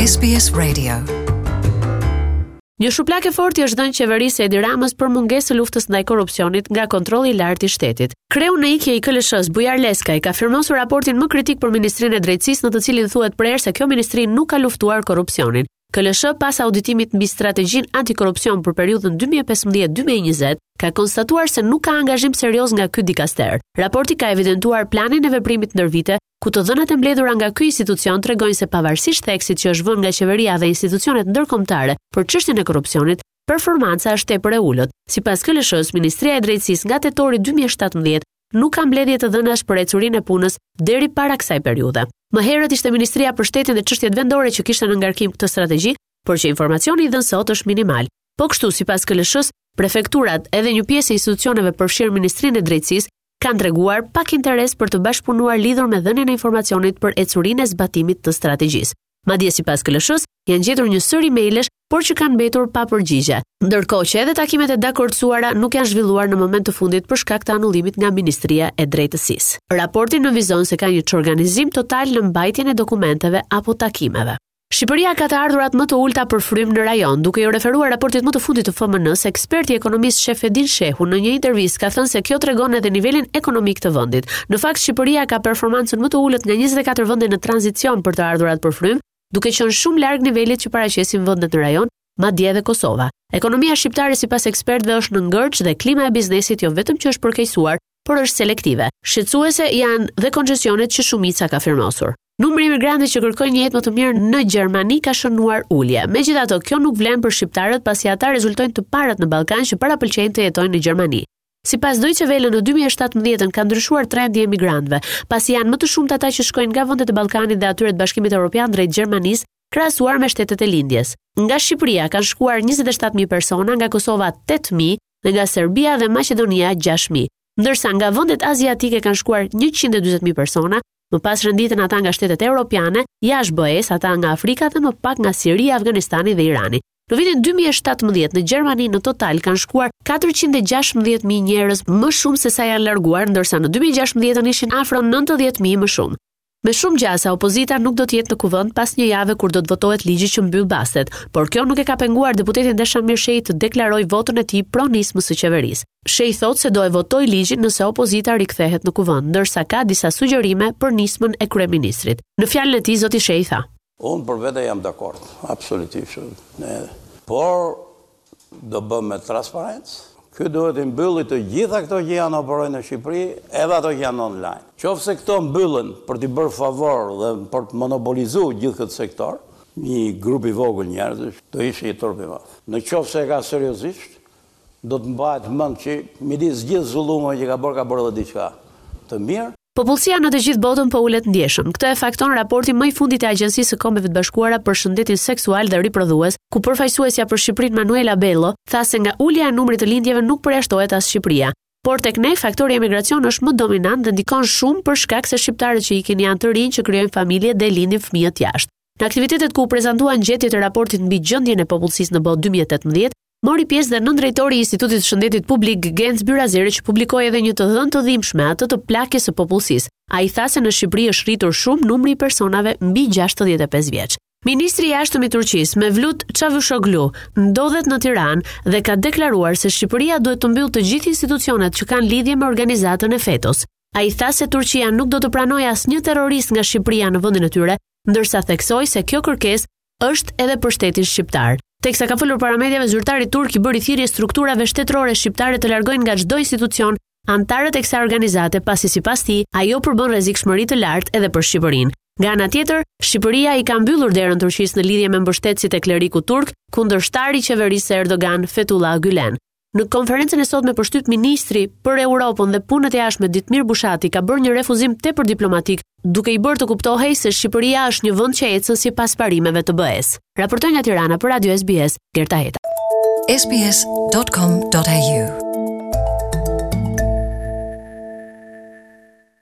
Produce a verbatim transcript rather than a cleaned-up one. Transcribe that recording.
S B S Radio. Një shuplakë e fortë i është dhënë qeverisë së Edi Ramës për mungesë të luftës ndaj korrupsionit nga Kontrolli i Lartë i Shtetit. Kreu në ikje i K L S-së, Bujar Leskaj, ka firmosur raportin më kritik për Ministrinë e Drejtësisë, në të cilin thuhet prerë se kjo ministri nuk ka luftuar korrupsionin. K L S pas auditimit mbi strategjinë antikorrupsion për periudhën dy mijë e pesëmbëdhjetë-dy mijë e njëzet ka konstatuar se nuk ka angazhim serioz nga ky dikaster. Raporti ka evidentuar planin e veprimit ndër vite, ku të dhënat e mbledhura nga ky institucion tregojnë se, pavarësisht theksit që është vënë nga qeveria dhe institucionet ndërkombëtare për çështjen e korrupsionit, performanca është tepër e ulët. Sipas K L S-së, Ministria e Drejtësisë nga tetori dy mijë e shtatëmbëdhjetë nuk ka mbledhje të dhënash për ecurinë e punës deri para kësaj periudhe. Më herët ishte Ministria për Shtetin dhe Çështjet Vendore që kishte në ngarkim këtë strategji, por që informacioni i dhënë sot është minimal. Po kështu, sipas K L S-së, prefekturat edhe një pjesë e institucioneve, përfshirë Ministrinë e Drejtësisë, kanë treguar pak interes për të bashkëpunuar lidhur me dhënien e informacionit për ecurinë e zbatimit të strategjisë. Madje, sipas K L S-së, janë gjetur një sërë emailesh, por që kanë mbetur pa përgjigje. Ndërkohë që edhe takimet e dakordsuara nuk janë zhvilluar në moment të fundit për shkak të anullimit nga Ministria e Drejtësisë. Raporti nënvizon se ka një çorganizim total në mbajtjen e dokumenteve apo takimeve. Shqipëria ka të ardhurat më të ulta për frymë në rajon. Duke iu referuar raportit më të fundit të F M N-s, eksperti i ekonomisë Shefedin Shehu në një intervistë ka thënë se kjo tregon edhe nivelin ekonomik të vendit. Në fakt, Shqipëria ka performancën më të ulët nga njëzet e katër vende në tranzicion për të ardhurat për frymë, duke qenë shumë larg nivelit që paraqesin vendet në rajon, madje edhe Kosova. Ekonomia shqiptare, sipas ekspertëve, është në ngërç dhe klima e biznesit jo vetëm që është përkeqësuar, por është selektive. Shqetësuese janë dhe koncesionet që shumica ka firmosur. Numri i emigrantëve që kërkojnë një jetë më të mirë në Gjermani ka shënuar ulje. Megjithatë, kjo nuk vlen për shqiptarët, pasi ata rezultojnë të parët në Ballkan që parapëlqejnë të jetojnë në Gjermani. Sipas Deutsche Welle, në dy mijë e shtatëmbëdhjetë ka ndryshuar trendi i emigrantëve, pasi janë më të shumtë ata që shkojnë nga vendet e Ballkanit dhe atyre të Bashkimit Evropian drejt Gjermanisë, krahasuar me shtetet e lindjes. Nga Shqipëria kanë shkuar njëzet e shtatë mijë persona, nga Kosova tetë mijë dhe nga Serbia dhe Maqedonia gjashtë mijë. Ndërsa nga vendet aziatike kanë shkuar njëqind e dyzet mijë persona, më pas renditen ata nga shtetet europiane, jashtë B E-s, ata nga Afrika dhe më pak nga Siria, Afganistani dhe Irani. Në vitin dy mijë e shtatëmbëdhjetë në Gjermani në total kanë shkuar katërqind e gjashtëmbëdhjetë mijë njerëz më shumë se sa janë larguar, ndërsa në dy mijë e gjashtëmbëdhjetë ishin afro nëntëdhjetë mijë më shumë. Me shumë gjasa, opozita nuk do të jetë në kuvend pas një jave, kur do të votohet ligji që mbyll bastet, por kjo nuk e ka penguar deputetin Dashamir Shehi të deklarojë votën e tij pro nismës së qeverisë. Shehi thotë se do e votojë ligjin nëse opozita rikthehet në kuvend, ndërsa ka disa sugjerime për nismën e kryeministrit. Në fjalën e tij, zoti Shehi tha: Unë për vete jam dakord, absolutisht. Ne, por do bëmë me transparencë. Ky duhet i mbylli të gjitha këto që janë operojnë në Shqipëri, edhe ato që janë online. Qoftë se këto mbyllen për t'i bërë favor dhe për të monopolizuar gjithë këtë sektor, një grup i vogël njerëzish, do ishte një turp i madh. Në qoftë se e ka seriozisht, do të mbahet mend që midis gjithë zullumeve që ka bërë, ka bërë edhe diçka të mirë. Popullsia në të gjithë botën po ulet ndjeshëm. Këtë e fakton raporti më i fundit i Agjencisë së Kombeve të Bashkuara për Shëndetin Seksual dhe Riprodhues, ku përfaqësuesja për Shqipërinë, Manuela Bello, tha se nga ulja e numrit të lindjeve nuk përjashtohet as Shqipëria. Por tek ne faktori emigracion është më dominant dhe ndikon shumë, për shkak se shqiptarët që ikin janë të rinj që krijojnë familje dhe lindin fëmijët jashtë. Në aktivitetet ku u prezantuan gjetjet e raportit mbi gjendjen e popullsisë në botë dy mijë e tetëmbëdhjetë, mori pjesë dhe nëndrejtori i Institutit të Shëndetit Publik, Genc Byrazeri, që publikoi edhe një të dhënë të dhimbshme, atë të plakjes së popullsisë. Ai tha se në Shqipëri është rritur shumë numri i personave mbi gjashtëdhjetë e pesë vjeç. Ministri i Jashtëm i Turqisë, Mevlut Çavuşoglu, ndodhet në Tiranë dhe ka deklaruar se Shqipëria duhet të mbyllë të gjithë institucionet që kanë lidhje me organizatën e FETO-s. Ai tha se Turqia nuk do të pranojë asnjë terrorist nga Shqipëria në vendin e tyre, ndërsa theksoi se kjo kërkesë është edhe për shtetin shqiptar. Teksa ka folur para mediave, zyrtari turk i bëri thirrje strukturave shtetërore shqiptare të largojnë nga çdo institucion anëtarët e kësaj organizate, pasi, sipas tij, ajo përbën rrezikshmëri të lartë edhe për Shqipërinë. Nga ana tjetër, Shqipëria i ka mbyllur derën Turqisë në lidhje me mbështetësit e klerikut turk, kundërshtari i qeverisë së Erdogan, Fethullah Gülen. Në konferencën e sotme për shtyp, ministri për Europën dhe Punët e Jashtme, Ditmir Bushati, ka bërë një refuzim tepër diplomatik, duke i bërë të kuptohej se Shqipëria është një vend që ecën sipas parimeve të B E-s. Raportoi nga Tirana për Radio S B S, Gerta Heta. S B S dot com dot A U